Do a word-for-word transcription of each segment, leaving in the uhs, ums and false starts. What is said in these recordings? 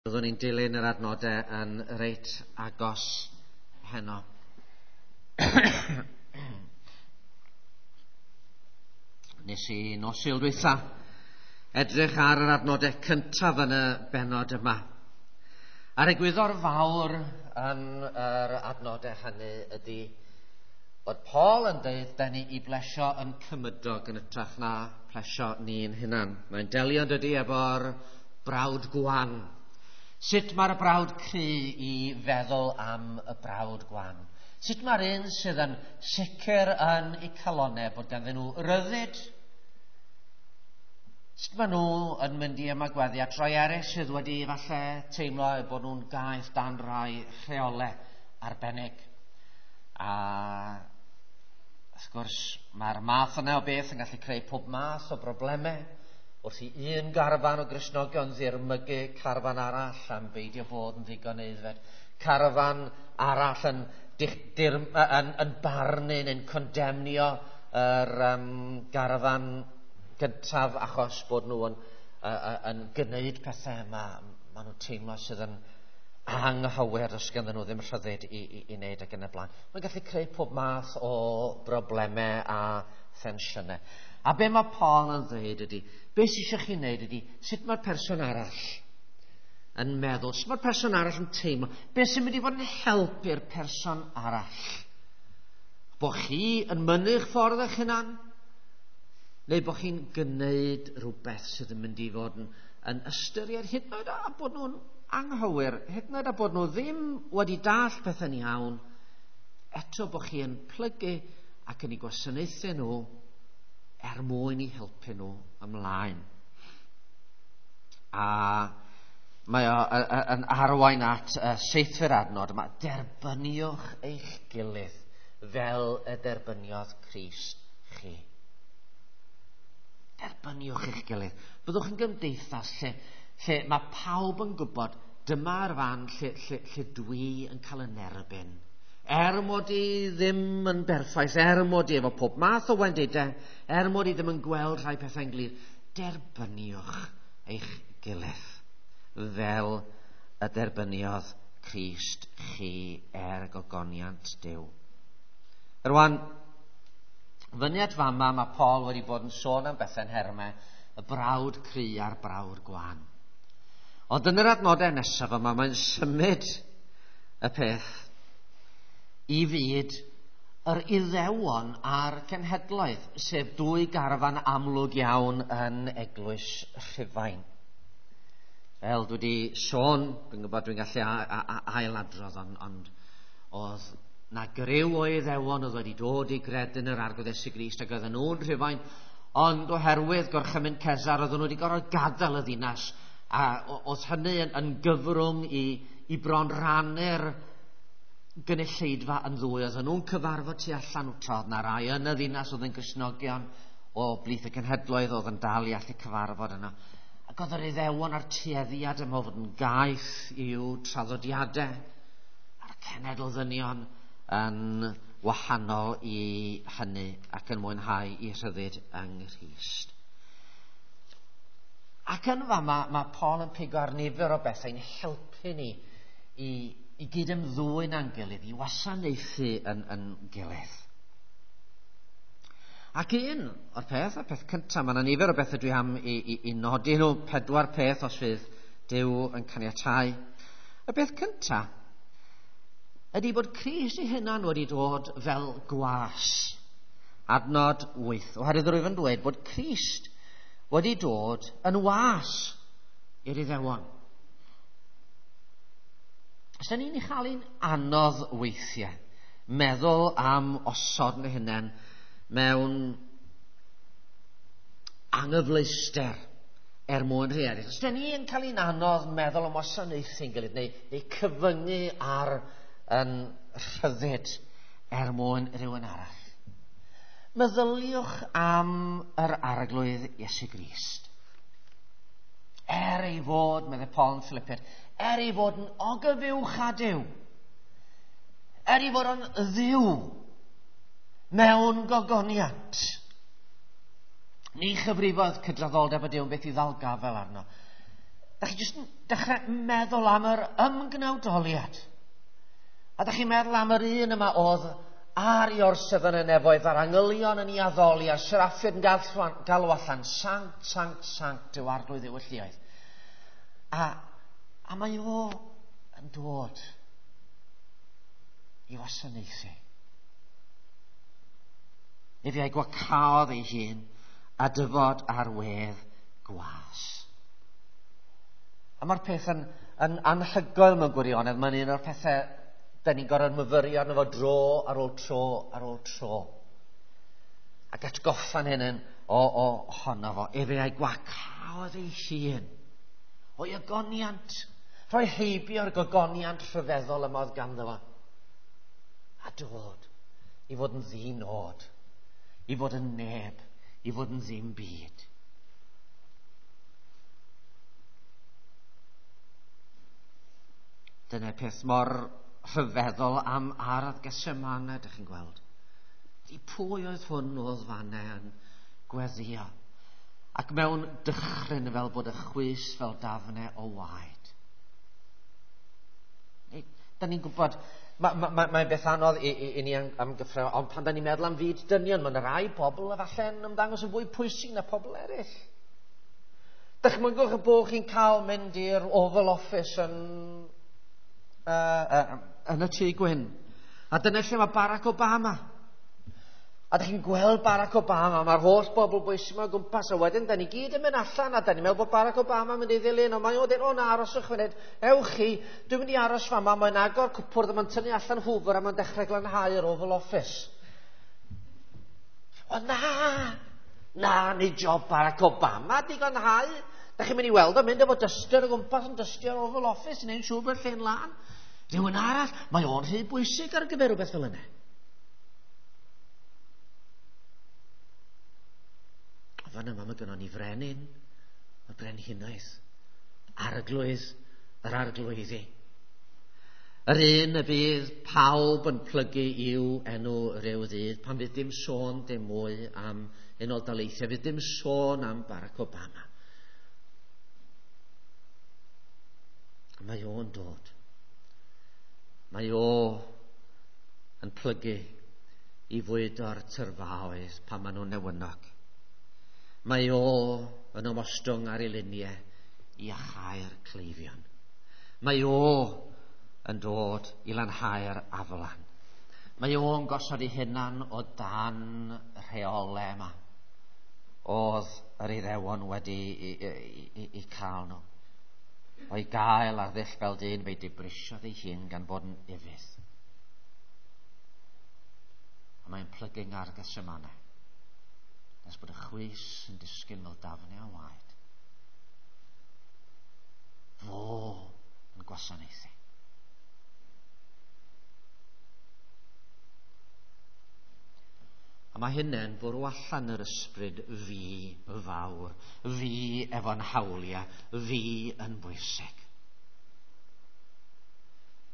Byddwn ni'n dilyn yr adnodau yn reit agos heno. Nes i nos Sul dwytha edrych ar yr adnodau cyntaf yn y bennod yma. A'r egwyddor fawr yn yr adnodau hynny ydy bod Paul yn dweud da ni i blesio yn cymydog yn hytrach na plesio ni'n hunan. Mae'n delio yn dydy efo'r brawd gwan. Sut mae'r brawd cry i feddwl am y brawd gwan? Sut mae'r un sydd yn sicr yn eu calonau bod ganddyn nhw ryddid? Sut maen nhw yn mynd i ymagweddu at rai eraill sydd wedi falle teimlo eu bod nhw'n gaeth dan rai rheolau arbennig? A wrth gwrs, mae'r math yna o beth yn gallu creu pob math o broblemau. Wrth i un garfan o Gristnogion ddirmygu carfan arall am beidio bod yn ddigon aeddfed, carfan arall yn, dir, yn, yn barnu neu'n condemnio yr um, garfan gyntaf achos bod nhw yn, uh, yn gwneud pethau yma, maen nhw'n teimlo sydd yn anghywir os ganddyn nhw ddim rhyddid i, i, i wneud ac yn y blaen. Mae'n gallu creu pob math o broblemau a thensiynau. A be mae Paul yn ddweud ydy, be sydd eisiau chi wneud ydy, sut mae'r person arall yn meddwl, sut mae'r person arall yn teimlo, be sy'n mynd i fod yn help i'r person arall? Bo chi yn mynnu'ch ffordd eich hunan, neu bo chi'n gwneud rhywbeth sydd yn mynd i fod yn, yn ystyried hyd yn oed a bod nhw'n anghywir, hyd yn oed a bod nhw ddim wedi dallt pethau'n iawn, eto bo chi yn plygu ac yn eu gwasanaethu nhw er mwyn i helpu nhw ymlaen. A mae o yn arwain at y seithfed adnod yma. Derbyniwch eich gilydd fel y derbyniodd Crist chi. Derbyniwch eich gilydd. Byddwch yn gymdeithas lle, lle mae pawb yn gwybod dyma'r fan lle, lle, lle dwi yn cael yn erbyn. Er mod i ddim yn berffaith, er mod i efo pob math o wendidau, er mod i ddim yn gweld rhai pethau'n glir, derbyniwch eich gilydd fel y derbyniodd Crist chi er gogoniant Duw. Rwan, fyny at fama mae Paul wedi bod yn sôn am bethau'n hermau, y brawd cry a'r brawd gwan. Ond yn yr adnodau nesaf yma, mae'n symud y peth i fyd yr Iddewon a'r cenhedloedd, sef dwy garfan amlwg iawn yn eglwys Rhufain. Fel dwi wedi sôn, dwi'n gwybod dwi'n gallu ailadrodd, ond, ond oedd na griw o Iddewon oedd wedi dod i gredu yn yr Arglwydd Iesu Grist ac oedden nhw'n Rhufain, ond oherwydd gorchymyn Cesar oedden nhw wedi gorfod gadael y ddinas, a oedd hynny yn, yn gyfrwng i, i bron rannu'r gynulleidfa yn ddwy. Oedden nhw'n cyfarfod tu allan, tra oedd na rai yn y ddinas oedd yn Gristnogion o blith y cenhedloedd oedd yn dal i allu cyfarfod yno. Ac oedd yr Iddewon a'r tueddiad yma o fod yn gaeth i'w traddodiadau a'r cenedl ddynion yn wahanol i hynny ac yn mwynhau i rhyddid yng Nghrist. Ac yn fama mae Paul yn pigo ar nifer o bethau'n helpu ni i i gyd-ymddwyn â'n gilydd, i wasanaethu yn, yn gilydd. Ac un o'r peth, y peth cyntaf, mae yna nifer o bethau dwi am i, i, i nodi nhw, pedwar peth os fydd Duw yn caniatáu. Y peth cyntaf ydy bod Crist ei hunan wedi dod fel gwas. Adnod wyth. Oherwydd rwyf yn dweud bod Crist wedi dod yn was i'r Iddewon. Os da ni'n ei chael hi'n anodd weithiau meddwl am osod yn hunain mewn anghyfleuster er mwyn rhai eraill. Os da ni'n cael hi'n anodd meddwl am wasanaethu'n gilydd neu, neu cyfyngu ar yn rhyddid er mwyn rhywun arall. Meddyliwch am yr Arglwydd Iesu Grist. Er ei fod, meddai Paul yn Philippiaid, er ei fod yn ogyfuwch â Duw, er ei fod yn ddiw mewn gogoniant, ni chyfrifodd cydraddoldeb y Duw yn beth i ddal gafel arno. Da chi jyst yn dechrau meddwl am yr ymgnawdoliad. A da chi'n meddwl am yr un yma oedd ar ei orsedd yn y nefoedd, a'r angylion yn ei addoli, a'r seraffiaid yn galw allan, sanct, sanct, sanct, yw arglwydd yw y lluoedd. A, a mae o yn dod i wasanaethu. Efe a'i gwacaodd ei hun a dyfod ar wedd gwas. A mae'r peth yn, yn anhygoel mewn gwirionedd. Mae'n un o'r pethau da ni'n gorfod myfyrio arno fo dro ar ôl tro ar ôl tro. Ac atgoffa'n hyn yn o, o honno fo. Efe a'i gwacaodd ei hun o'i ogoniant. Rhoi heibio'r gogoniant rhyfeddol yma oedd ganddo fo. A dod i fod yn ddinod, i fod yn neb, i fod yn ddim byd. Dyna'r peth mor rhyfeddol am ardd Gethsemane, ydych chi'n gweld. I pwy oedd hwn oedd fanne yn gweddio? Ac mewn dychryn fel bod y chwys fel dafnau o waed. Da ni'n gwybod, mae'n ma, ma, ma beth anodd i, i, i ni amgyffred, ond pan da ni'n meddwl am fyd dynion, mae'n rai bobl efallai'n ymddangos yn fwy pwysig na pobl eraill. Dychmygwch y bod chi'n cael mynd i'r Oval Office yn, uh, uh, yn y Tŷ Gwyn. A dyna lle mae Barack Obama. A da chi'n gweld Barack Obama, mae'r holl bobl bwysig yma o gwmpas, a wedyn da ni gyd yn mynd allan, a da ni'n meddwl bod Barack Obama yn mynd i ddilyn, ond mae o'n dweud, o na, aroswch funud, ewch chi, dwi'n mynd i aros fama, mae'n agor cwpwrdd, a mae'n tynnu allan hwfr, a mae'n dechrau glanhau yr Oval Office. O na, na, nid job Barack Obama di glanhau. Da chi'n mynd i weld o'n mynd efo duster o gwmpas yn dystio'r Oval Office, yn ein siŵr bod lle'n lân. Rhywun arall, mae o'n rhy bwysig ar gyfer rhywbeth fel yna. Fan yma mae gynnon ni frenin, y brenhinoedd, arglwydd, yr arglwyddi. Yr un y bydd pawb yn plygu i'w enw rhyw ddydd, pan fydd dim sôn dim mwy am Unol Daleithiau, fydd dim sôn am Barack Obama. A mae o'n dod. Mae o yn plygu i fwydo'r tyrfaoedd pan maen nhw'n newynog. Mae o yn ymostwng ar ei luniau i achau'r cleifion. Mae o yn dod i lanhau'r aflan. Mae o'n gosod ei hunan o dan rheolau yma. Oedd yr Iddewon wedi i, i, i, i cael nhw. O'i gael ar ddull fel dyn, fe'i dibrisiodd ei hun gan fod yn ufudd. A mae'n plygu ar Gethsemane. Nes bod y chwys yn disgyn fel dafnau o waed. Fo yn gwasanaethu. A mae hynny'n bwrw allan yr ysbryd fi fawr, fi efo'n hawliau, fi yn bwysig.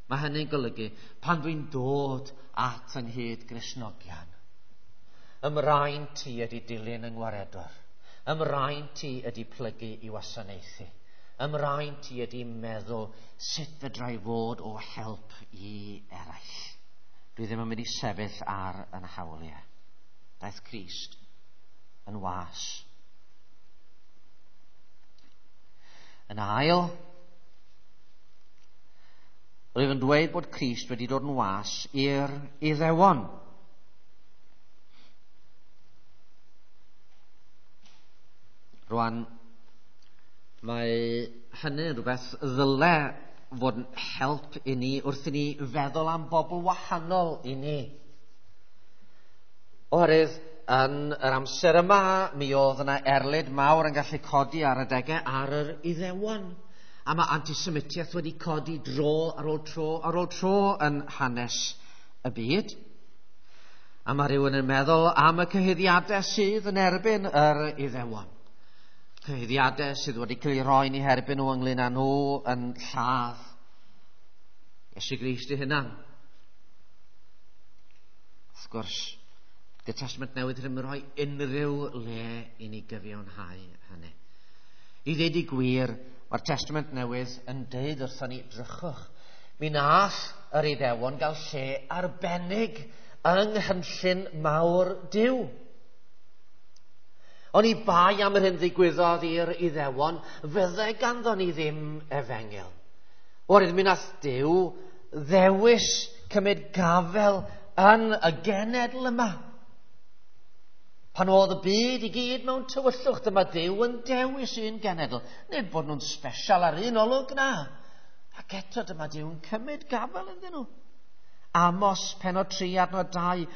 Mae hynny'n golygu pan dwi'n dod at yng nghyd Gristnogion, ymraen ti ydy dilyn yng ngwaredwr, ymraen ti ydy plygu i wasanaethu, ymraen ti ydy meddwl sut fedra i fod o help i eraill. Dwi ddim yn mynd i sefyll ar yn hawliau. Daeth Crist yn was. Yn ail, rwyf yn dweud bod Crist wedi dod yn was i'r Iddewon. Rwan, mae hynny yn rhywbeth ddyle fod yn help i ni wrth i ni feddwl am bobl wahanol i ni. Oherwydd, yn yr amser yma, mi oedd yna erlid mawr yn gallu codi ar adegau ar yr Iddewon. A mae antisemitiaeth wedi codi dro ar ôl tro ar ôl tro yn hanes y byd. A mae rhywun yn meddwl am y cyhuddiadau sydd yn erbyn yr Iddewon. Cyhuddiadau sydd wedi cael eu rhoi ni herbyn nhw ynglyn â nhw yn lladd Iesu Grist ei hunan. Wrth gwrs, Dy'r Testament Newydd ddim yn rhoi unrhyw le i ni gyfiawnhau hynny. I ddweud y gwir, Mae'r Testament Newydd yn deud wrthon ni, drychwch, mi nath yr Iddewon gael lle arbennig yng nghynllun mawr Duw. Oni bai am yr hyn ddigwyddodd i'r Iddewon, fydde ganddo ni ddim efengyl. Oherwydd mi nath Duw ddewis cymryd gafel yn y genedl yma. Pan oedd y byd i gyd mewn tywyllwch, dyma Duw yn dewis un genedl. Nid bod nhw'n special ar un olwg, na. Ac eto dyma Duw yn cymryd gafel ynddyn nhw. Amos pennod tri adnod dau.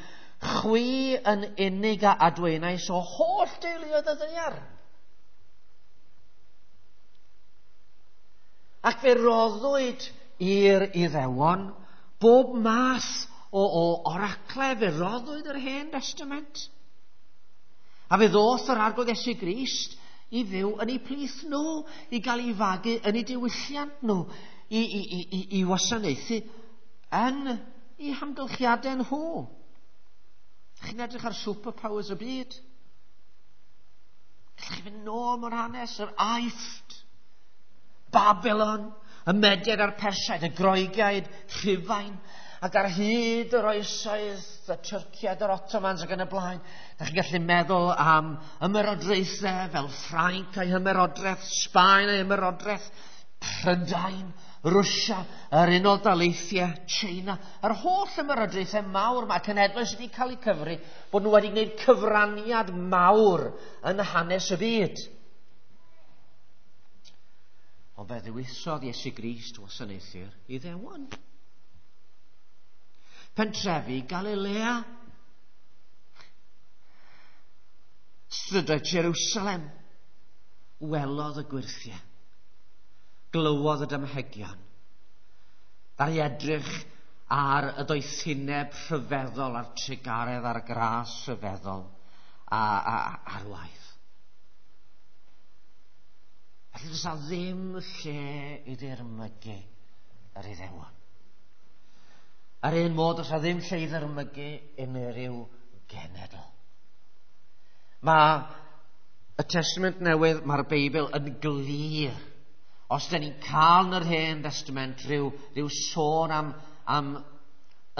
Chwi yn unig a adwaenais o holl deuluoedd y ddaear. Ac fe roddwyd i'r Iddewon bob math o, o oracle, fe roddwyd yr Hen Testament. A fe ddoth yr Arglwydd Iesu Grist i fyw yn eu plith nhw, i gael ei fagu yn eu diwylliant nhw, i, i, i, i, i wasanaethu yn eu hamgylchiadau nhw. Chi'n edrych ar superpowers y byd. Gallwch chi fynd nôl mewn hanes, yr Aifft, Babylon, y Mediaid a'r Persiaid, y Groegiaid, Rhufain, ac ar hyd yr oesoedd, y Tyrciaid, yr Ottomans ac yn y blaen. Da chi'n gallu meddwl am ymerodraethau fel Ffrainc a'i hymerodraeth, Sbaen a'i hymerodraeth, Prydain, Rwsia, yr Unol Daleithiau, China, yr holl ymerodraethau mawr mae cenhedloedd sydd wedi cael eu cyfri bod nhw wedi gwneud cyfraniad mawr yn hanes y byd. Ond fe ddewisodd Iesu Grist wasanaethu'r Iddewon. Pentrefi Galilea, strydoedd Jerusalem, welodd y gwyrthiau, glywodd y damhegion, ddaru edrych ar y doethineb rhyfeddol, a'r trugaredd a'r gras rhyfeddol a, a, ar waith. Felly does 'na ddim lle i ddirmygu yr Iddewon. Ar un modd, does 'na ddim lle i ddirmygu unrhyw genedl. Mae y Testament Newydd, mae'r Beibl yn glir. Os dyn ni'n cael yn yr Hen Testament rhyw, rhyw sôn am, am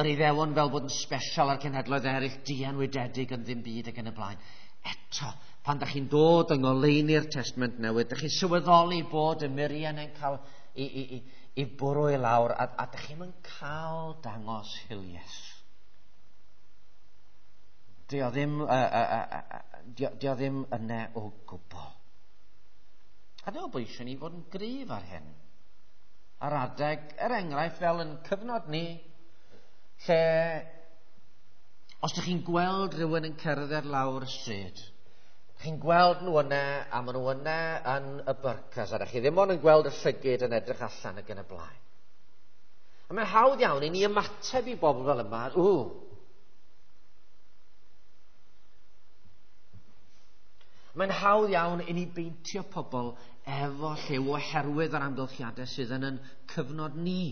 yr Iddewon fel bod yn special ar cenhedloedd eraill, dienwydedig yn ddim byd ac yn y blaen. Eto, pan da chi'n dod yng ngoleuni'r Testament Newydd, da chi'n sylweddoli bod y muriau yn cael i, i, i, i bwrw i lawr, a, a da chi'n mynd cael dangos hiliaeth. Dio ddim, uh, uh, uh, uh, dio, dio ddim yna o gwbl. A dwi'n meddwl bod eisiau ni fod yn gryf ar hyn. Ar adeg, er enghraifft, fel yn cyfnod ni, lle os ydych chi'n gweld rhywun yn cerdded lawr y stryd, chi'n gweld nhw yna, a maen nhw yna yn y byrcas, a ydych chi ddim ond yn gweld y llygid yn edrych allan ac yn y blaen. A mae'n hawdd iawn i ni ymateb i bobl fel yma, ww. Mae'n hawdd iawn i ni beintio pobl efo lliw oherwydd yr amgylchiadau sydd yn yn cyfnod ni.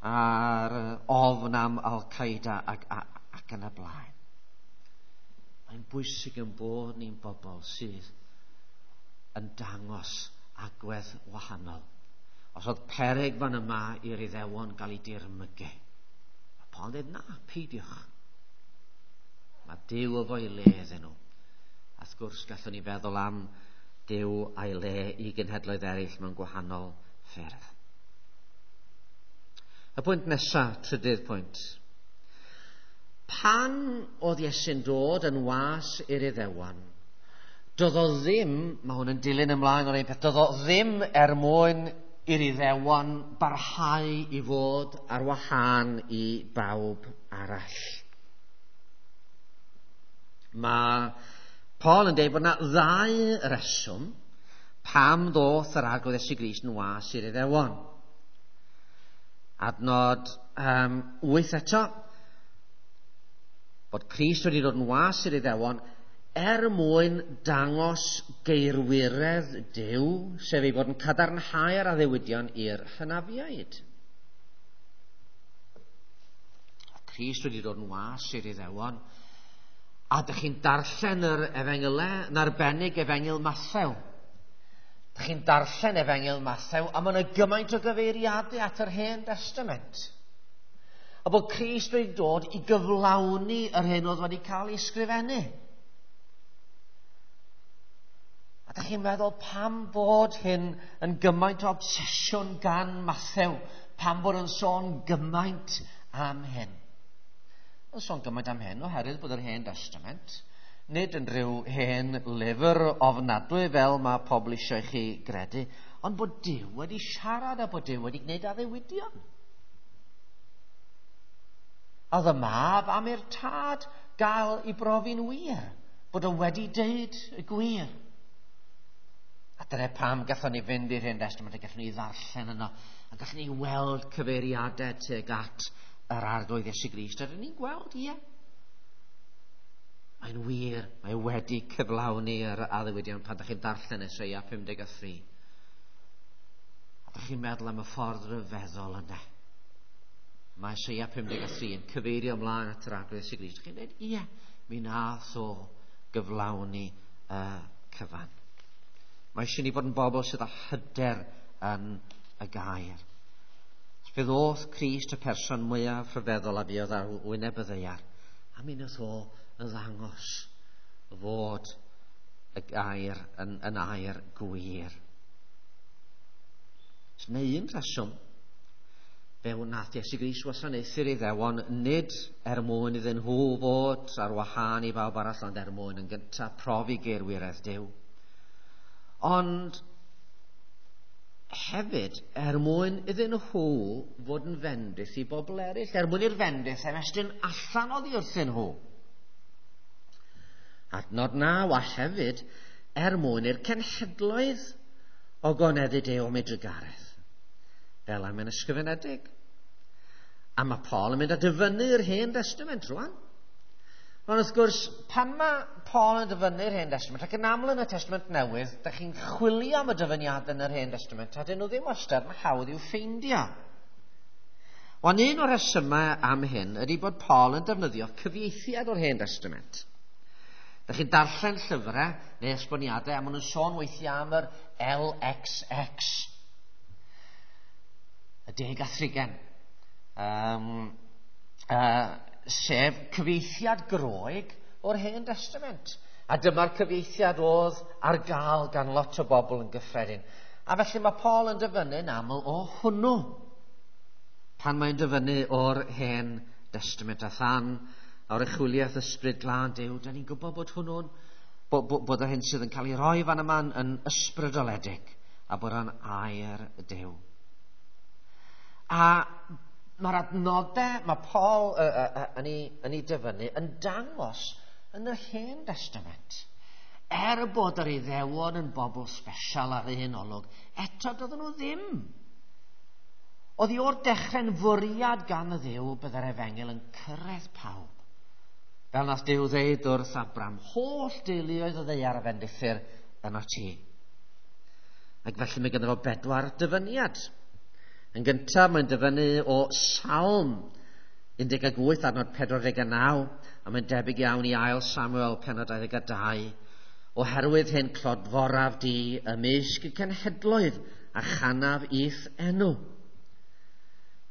A'r ofn am Al-Qaeda ac, ac, ac yn y blaen. Mae'n bwysig yn bod ni'n bobl sydd yn dangos agwedd wahanol. Os oedd peryg fan yma i'r Iddewon gael ei dirmygu, mae Paul yn dweud, na, peidiwch. Mae Duw efo'i le iddyn nhw. A wrth gwrs gallwn ni feddwl am Duw a'i le i genhedloedd eraill mewn gwahanol ffyrdd. Y pwynt nesaf, trydydd pwynt. Pan oedd Iesu'n dod yn was i'r Iddewon, doedd o ddim, mae hwn yn dilyn ymlaen o'r un peth, doedd o ddim er mwyn i'r Iddewon barhau i fod ar wahân i bawb arall. Mae Paul yn dweud bod yna ddau reswm pam ddoth yr Arglwydd Iesu Grist yn was i'r Iddewon. Adnod um, wyth eto, bod Crist wedi dod yn was i'r Iddewon er mwyn dangos geirwiredd Duw, sef ei fod yn cadarnhau'r addewidion i'r hynafiaid. Crist wedi dod yn was i'r Iddewon, a dych chi'n darllen yr efengylau, yn arbennig efengyl Mathew. Dych chi'n darllen Efengyl Mathew, a mae yna gymaint o gyfeiriadau at yr Hen Testament. A bod Crist wedi dod i gyflawni yr hyn oedd wedi cael ei sgrifennu. A dych chi'n meddwl pam bod hyn yn gymaint o obsesiwn gan Mathew, pam bod yn sôn gymaint am hyn? Yn sôn gymaint am hyn oherwydd bod yr Hen Testament nid yn rhyw hen lyfr ofnadwy fel mae pobl eisiau chi gredu, ond bod Duw wedi siarad a bod Duw wedi gwneud addewidion. A oedd y mab am i'r tad gael ei brofi'n wir, bod o wedi deud y gwir. A dyna pam gallwn ni fynd i'r Hen Testament a gallwn ni ddarllen yno, a gallwn ni weld cyfeiriadau tuag at yr Arglwydd Iesu Grist. A dyn ni'n gweld, ie. Mae'n wir, mae wedi cyflawni yr addewidion pan ydych chi'n darllen Eseia pum deg a thri. A ydych chi'n meddwl am y ffordd ryfeddol yna. Mae Eseia pum deg a thri yn cyfeirio ymlaen at yr Arglwydd Iesu Grist. Chi'n dweud, ie, mi nath o gyflawni y cyfan. Mae eisiau ni fod yn bobl sydd â hyder yn y gair. Fe ddoth Crist y person mwyaf rhyfeddol a fuodd ar wyneb y ddaear. A mi nath o yn ddangos fod y gair yn, yn air gwir. Neu un rheswm, fe wnaeth Iesu Grist wasanaethu'r Iddewon nid er mwyn iddyn nhw fod ar wahân i bawb arall, ond er mwyn yn gyntaf profi geirwiredd Duw. Ond hefyd er mwyn iddyn nhw fod yn fendith i bobl eraill, er mwyn i'r fendith ymestyn allan oddi wrthyn nhw. Adnod naw, a hefyd er mwyn i'r cenhedloedd ogoneddu Duw am ei drugaredd, fel am yn ysgrifenedig. A mae Paul yn mynd a dyfynnu'r Hen Testament rwan. Ond wrth gwrs, pan mae Paul yn dyfynnu'r Hen Testament, ac yn aml yn y Testament Newydd, dych chi'n chwilio am y dyfyniadau yn yr Hen Testament, a dyn nhw ddim wastad yn hawdd i'w ffeindio. Ond un o'r rhesymau am hyn ydy bod Paul yn defnyddio cyfieithiad o'r Hen Testament. Dych chi'n darllen llyfrau neu esboniadau, a maen nhw'n sôn weithiau am yr L X X, y deg a thrigen, um, uh, sef cyfieithiad Groeg o'r Hen Testament. A dyma'r cyfieithiad oedd ar gael gan lot o bobl yn gyffredin. A felly mae Paul yn dyfynnu'n aml o hwnnw pan mae'n dyfynnu o'r Hen Testament. A than o'r echwyliaeth ysbryd glân Duw, da ni'n gwybod bod hwnnw'n, bod, bod, bod yr hyn sydd yn cael ei roi fan yma yn ysbrydoledig a bod o'n air Duw. A mae'r adnodau mae Paul uh, uh, uh, yn, ei, yn ei dyfynnu yn dangos yn yr Hen Testament. Er bod yr Iddewon yn bobl special ar un olwg, eto doedden nhw ddim. Oedd hi o'r dechrau'n fwriad gan y Dduw byddai'r efengyl yn cyrraedd pawb. Fel nath Duw ddeud wrth Abram, holl deuluoedd y ddaear a fendithir yno ti. Ac felly mae ganddo fo bedwar dyfyniad. Yn gyntaf, mae'n dyfynnu o Salm un deg wyth adnod pedwar deg naw, a mae'n debyg iawn i ail Samuel pennod dau ddeg dau. Oherwydd hyn clodforaf di ymysg y cenhedloedd a chanaf i'th enw.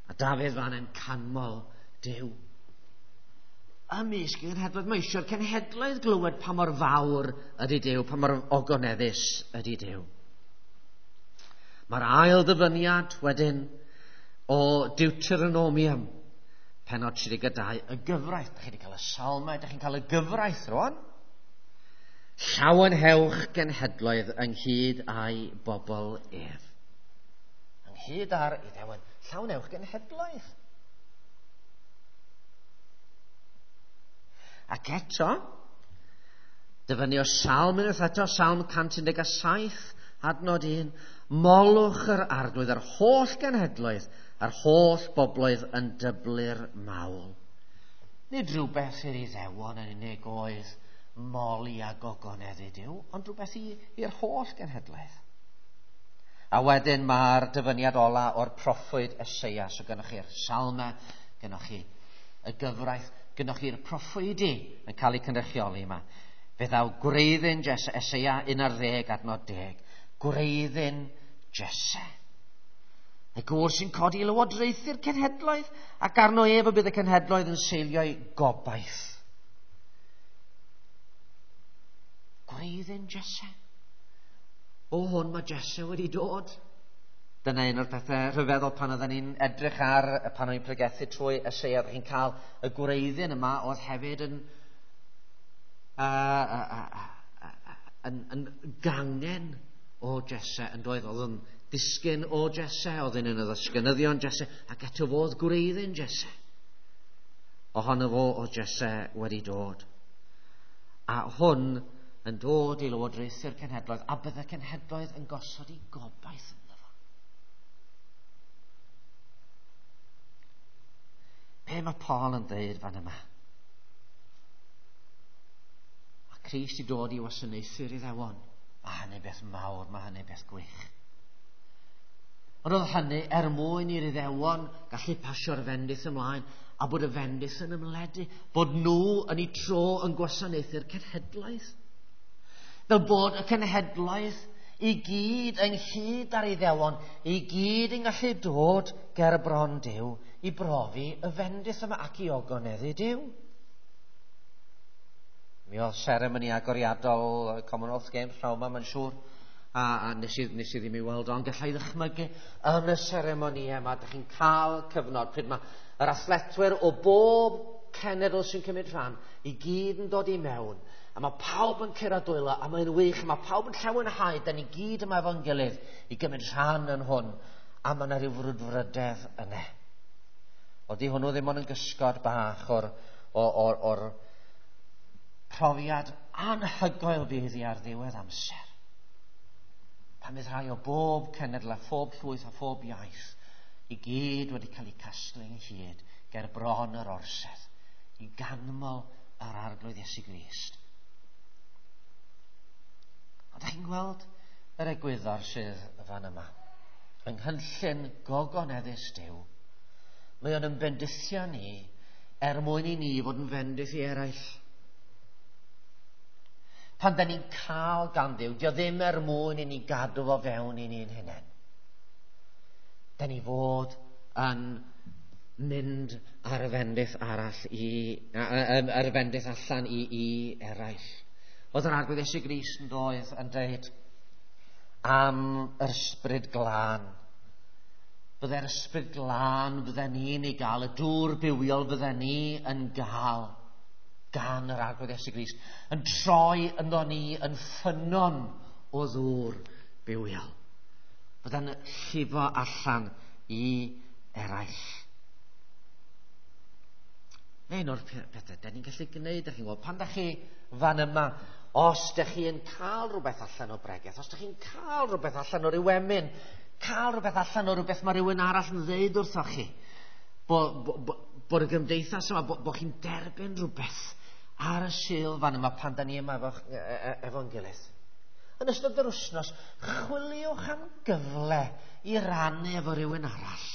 A Dafydd fan yn canmol Duw. Ymysg y cenhedloedd, mae eisiau'r cenhedloedd glywed pa mor fawr ydy Duw, pa mor ogoneddus ydy Duw. Mae'r ail ddyfyniad wedyn o Deuteronomium, pennod tri deg dau, y gyfraith. Dych chi wedi cael y salmau, dych chi'n cael y gyfraith rwan. Llawenhewch genhedloedd ynghyd â'i bobl ef. Ynghyd â'r Iddewon, llawenhewch genhedloedd. Ac eto, dyfynnu o Salm unwaith eto, Salm cant un deg saith, adnod un, molwch yr Arglwydd yr holl genhedloedd a'r holl bobloedd yn dyblu'r mawl. Nid rhywbeth i'r Iddewon yn unig oedd moli a gogoneddu Duw, ond rhywbeth i'r holl genhedloedd. A wedyn mae'r dyfyniad ola o'r proffwyd Eseia. So gynnwch chi'r salmau, gynnwch chi y gyfraith, gynnwch chi'r proffwydi yn cael eu cynrychioli yma. Fe ddaw gwreiddyn Eseia un ar ddeg adnod deg. Gwreiddyn Jesse. Y gŵr sy'n codi i lywodraethu'r cenhedloedd, ac arno ef y bydd y cenhedloedd yn seilio'i gobaith. Gwreiddyn Jesse. O hwn mae Jesse wedi dod. Dyna un o'r pethau rhyfeddol pan oedden ni'n edrych ar, pan o'n i'n pregethu trwy Eseia, chi'n cael y gwreiddyn yma oedd hefyd yn, uh, uh, uh, uh, yn, yn gangen o Jesse yn doedd, oedd yn disgyn o Jesse, oedd yn un o ddisgynyddion Jesse, ac eto fodd gwreiddyn Jesse. Ohono fo o Jesse wedi dod. A hwn yn dod i lywodraethu'r cenhedloedd, a bydde cenhedloedd yn gosod i gobaith ynddo fo. Be mae Paul yn dweud fan yma? Mae Crist i dod i wasanaethu'r Iddewon. Mae hynny beth mawr, mae hynny beth gwych. Ond oedd hynny er mwyn i'r Iddewon gallu pasio'r fendith ymlaen a bod y fendith yn ymledu, bod nhw yn eu tro yn gwasanaethu'r cenhedlaeth. Fel bod y cenhedlaeth i gyd ynghyd â'r Iddewon, i gyd yn gallu dod ger bron Duw i brofi y fendith yma ac i ogoneddu Duw. Mi oedd seremoni agoriadol Commonwealth Games rhawn yma, mae'n siŵr, a, a nes, i, nes i ddim i weld, ond gallai ddychmygu yn y seremoni yma, dych chi'n cael cyfnod pryd mae yr athletwyr o bob cenedl sy'n cymryd rhan i gyd yn dod i mewn, a mae pawb yn curo dwylo, a mae'n wych, a mae pawb yn llawenhau, da ni gyd yma efo'n gilydd i gymryd rhan yn hwn, a mae yna rhyw frwdfrydedd yna. Oeddi hwnnw ddim ond yn gysgod bach o'r, or, or, or profiad anhygoel fydd i ar ddiwedd amser. Pan fydd rhai o bob cenedl a phob llwyth a phob iaith i gyd wedi cael eu casglu ynghyd ger bron yr orsedd i ganmol yr Arglwydd Iesu Grist. Ond ydych chi'n gweld yr egwyddor sydd fan yma? Yng nghynllun gogoneddus Duw, mae o'n bendithio ni er mwyn i ni fod yn fendith i eraill. Pan da ni'n cael gan Dduw, dio ddim er mwyn i ni gadw fo fewn i ni'n hunain. Da ni fod yn mynd ar y fendith arall i, ar y fendith allan i, i eraill. Oedd yr Arglwydd Iesu Grist yn doedd yn dweud am yr ysbryd glân. Byddai'r ysbryd glân fydden ni'n ei gael, y dŵr bywiol fydden ni yn gael gan yr Arglwydd Iesu Grist, yn troi ynddo ni yn ffynnon o ddŵr bywiol. Fydda'n llifo allan i eraill. Un o'r pethau da ni'n gallu gwneud, da chi'n gweld, pan da chi fan yma, os da chi yn cael rhywbeth allan o bregeth, os da chi'n cael rhywbeth allan o ryw emyn, cael rhywbeth allan o rhywbeth mae rhywun arall yn ddeud wrthoch chi, bo, bo, bo, bod y gymdeithas yma, bo, bo chi'n derbyn rhywbeth ar y Sul fan yma pan da ni yma efo, efo'n gilydd. Yn ystod yr wythnos, chwiliwch am gyfle i rannu efo rhywun arall.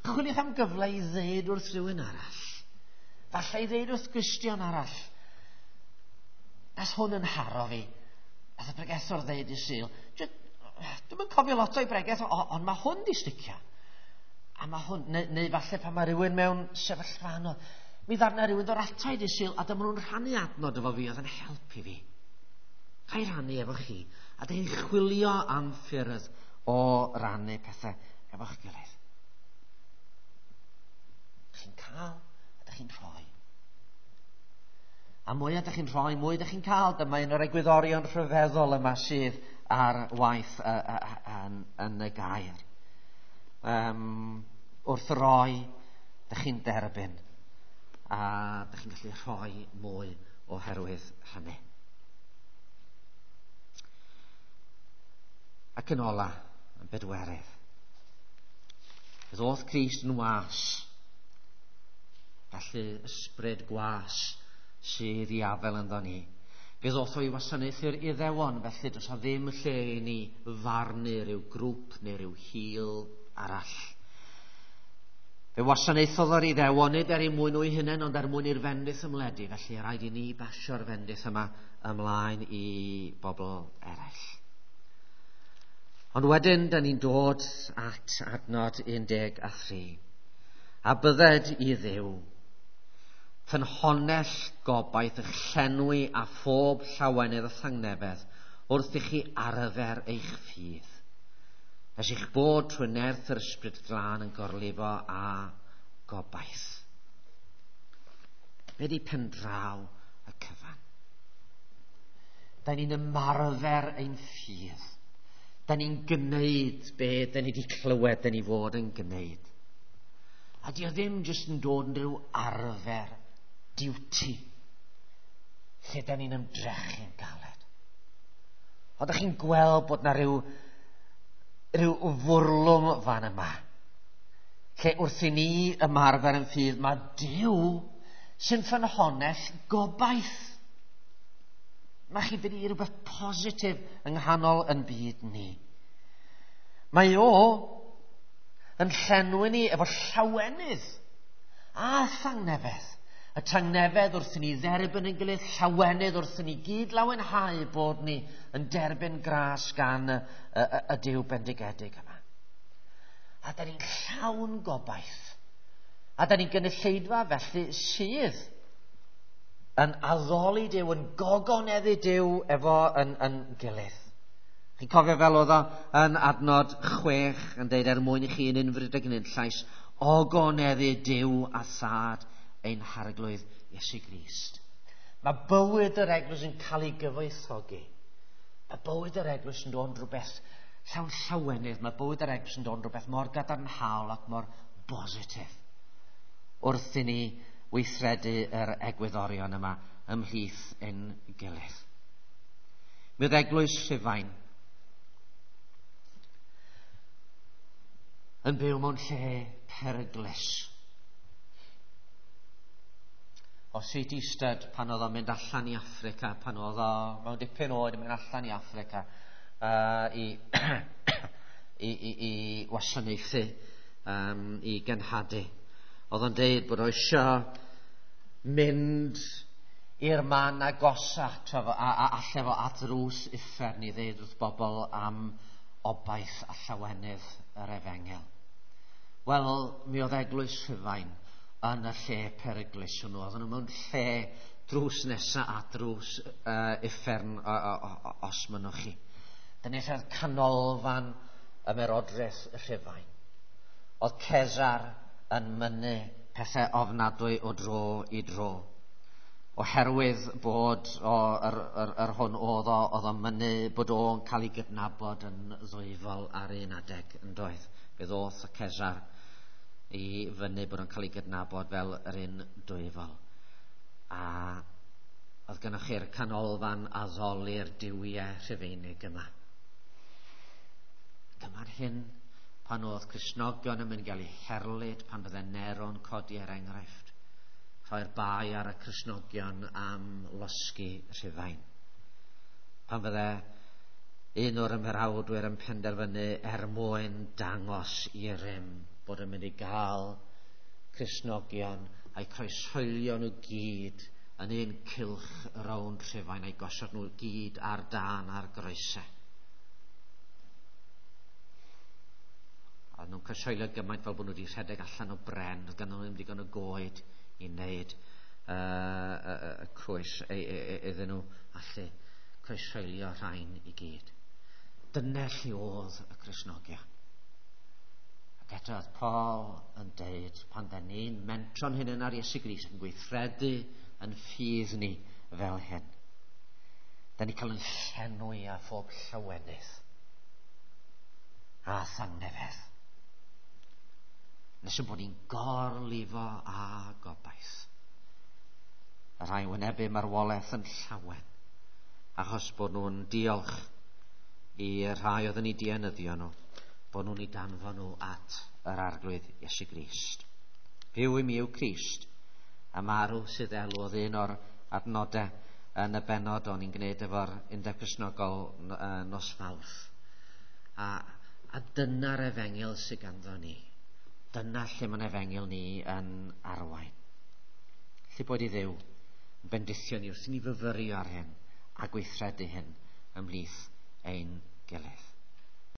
Chwiliwch am gyfle i ddeud wrth rhywun arall. Falle i ddeud wrth Gristion arall. Nath hwn yn haro fi. Nath y pregethwr ddeud i Sul. Dwi'm yn cofio lot o'i bregeth, ond mae hwn di sticio. A mae hwn, neu, neu falle pan mae rhywun mewn sefyllfa anodd, mi ddarna rhywun ddod ata i di Sul, a dyma nhw'n rhannu adnod efo fi, oedd yn helpu fi. Ga i rannu efo chi, a dyn chi'n chwilio am ffyrdd o rannu pethau efo'ch gilydd. Chi'n cael, a dych chi'n rhoi. A mwy ydych chi'n rhoi, mwy ydych chi'n cael. Dyma un o'r egwyddorion rhyfeddol yma sydd ar waith uh, uh, yn, yn y gair. Um, wrth roi, dych chi'n derbyn, a dych chi'n gallu rhoi mwy oherwydd hynny. Ac yn ola, yn bedwerydd, ddoth Crist yn was, felly ysbryd gwas sydd i afel ynddo ni. Fe ddoth o i wasanaethu'r Iddewon, felly does a ddim lle i ni farnu rhyw grŵp neu rhyw hil arall. Fe wasanaethodd yr Iddewon nid er eu mwyn nhw'u hunain, ond er mwyn i'r fendith ymledu, felly rhaid i ni basio'r fendith yma ymlaen i bobl eraill. Ond wedyn, da ni'n dod at adnod un deg a thri. A bydded i Dduw, ffynhonnell gobaith eich llenwi a phob llawenydd a thangnefedd wrth i chi arfer eich ffydd. Nes eich bod trwy nerth yr Ysbryd Glân yn gorlifo a gobaith. Be di pendraw y cyfan? Da ni'n ymarfer ein ffydd. Da ni'n gwneud be da ni wedi clywed da ni fod yn gwneud. A di o ddim jyst yn dod yn rhyw arfer, duty, lle da ni'n ymdrechu'n galed. Ond ydych chi'n gweld bod na rhyw, rhyw fwrlwm fan yma, lle wrth i ni ymarfer yn ffydd, mae Duw sy'n ffynhonnell gobaith. Mae chi wedi rhywbeth positif yng nghanol yn byd ni. Mae o yn llenwi ni efo llawenydd a thangnefedd. Y tangnefedd wrth i ni dderbyn yn gilydd, llawenydd wrth i ni gyd lawenhau bod ni yn derbyn gras gan y, y, y, y Duw bendigedig yma. A da ni'n llawn gobaith. A da ni'n gynulleidfa felly sydd yn addoli Duw, yn gogoneddu Duw efo yn, yn gilydd. Chi'n cofio fel oedd o yn adnod chwech yn deud er mwyn i chi yn unfryd ag yn unllais, ogoneddu Duw a Thad ein Harglwydd Iesu Grist. Mae bywyd yr eglwys yn cael ei gyfoethogi. Mae bywyd yr eglwys yn dod yn rhywbeth llawn llawenydd. Mae bywyd yr eglwys yn dod yn rhywbeth mor gadarnhaol ac mor bositif wrth i ni weithredu yr egwyddorion yma ymhlith ein gilydd. Mi oedd eglwys Rhufain yn byw mewn lle peryglus. O C T Studd, pan oedd o'n mynd allan i Affrica, pan oedd o mewn dipyn oed yn mynd allan i Affrica uh, i, i, i, i wasanaethu, um, i genhadu. Oedd o'n deud bod o eisiau mynd i'r man agosach a, a, a alle fo at ddrws uffern i ddeud wrth bobl am obaith a llawenydd yr efengyl. Wel, mi oedd eglwys Rhufain yn y lle peryglus hwnnw. Oedden nhw mewn lle drws nesa at drws uh, uffern os mynnwch chi. Dyna lle oedd canolfan ymerodraeth Rhufain. Oedd Cesar yn mynnu pethau ofnadwy o dro i dro. Oherwydd bod o, yr, yr, yr hwn oedd o, oedd o'n mynnu bod o'n cael ei gydnabod yn ddwyfol ar un adeg yn doedd. Fe ddoth y Cesar i fyny bod o'n cael ei gydnabod fel yr un dwyfol. A oedd gennych chi'r canolfan addoli'r duwiau Rhufeinig yma. Dyma'r hyn pan oedd Cristnogion yn mynd i gael eu herlid, pan fydde Nero'n codi er enghraifft, rhoi'r bai ar y Cristnogion am losgi Rhufain. Pan fydde un o'r ymerawdwyr yn penderfynu er mwyn dangos i rym bod yn mynd i gael Cristnogion a'i croeshoelio nhw gyd yn un cylch rownd Rhufain a'i gosod nhw gyd ar dân ar groesau. A nhw'n croeshoelio gymaint fel bod nhw wedi rhedeg allan o bren, oedd ganddyn nhw ddim digon o goed i wneud uh, y, y, y croes iddyn nhw allu croeshoelio rhain i gyd. Dyna lle oedd y Cristnogion. Ac eto oedd Paul yn deud, pan da ni'n mentro'n hunain ar Iesu Grist yn gweithredu yn ffydd ni fel hyn, da ni cael yn llenwi â phob llawenydd a thangnefedd. Nes yn bod ni'n gorlifo a gobaith. Y rhai wynebu marwolaeth yn llawen, achos bod nhw'n diolch i'r rhai oedd yn eu dienyddio nhw, bod nhw'n eu danfon nhw at yr Arglwydd Iesu Grist. Byw i mi yw Crist, a marw sydd elw oedd un o'r adnodau yn y bennod o'n i'n gwneud efo'r Undeb Cristnogol nos Fawrth. A, a dyna'r efengyl sydd ganddo ni. Dyna lle mae'n efengyl ni yn arwain. Lle bod i Dduw yn bendithio ni wrth i ni fyfyrio ar hyn a gweithredu hyn ymhlith ein gilydd.